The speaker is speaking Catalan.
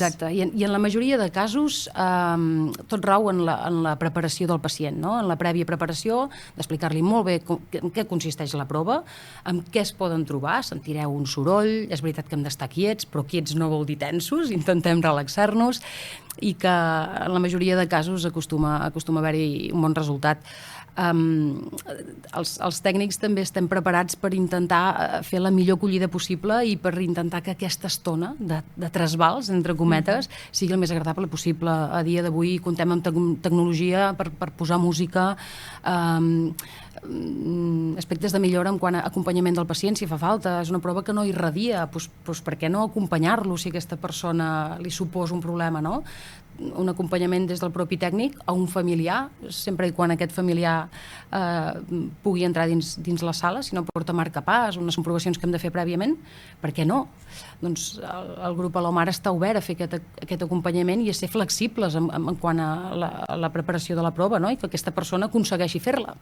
Exacte, i en la majoria de casos tot rau en la preparació del pacient, no? En la prèvia preparació, d'explicar-li molt bé en què consisteix la prova, amb què es poden trobar, sentireu un soroll, és veritat que hem d'estar quiets, però quiets no vol dir tensos, intentem relaxar-nos, i que en la majoria de casos acostuma a haver-hi un bon resultat. Els tècnics també estem preparats per intentar fer la millor acollida possible i per intentar que aquesta estona de trasbals, entre cometes, sigui el més agradable possible. A dia d'avui contem amb tecnologia per posar música, aspectes de millora en quant a acompanyament del pacient, si fa falta. És una prova que no irradia, doncs per què no acompanyar-lo si aquesta persona li suposa un problema, no? Un acompanyament des del propi tècnic a un familiar, sempre i quan aquest familiar pugui entrar dins la sala, si no porta marcapass, unes comprovacions que hem de fer prèviament, per què no? Doncs el grup Alomar està obert a fer aquest acompanyament i a ser flexibles en quant a la preparació de la prova, no? I que aquesta persona aconsegueixi fer-la.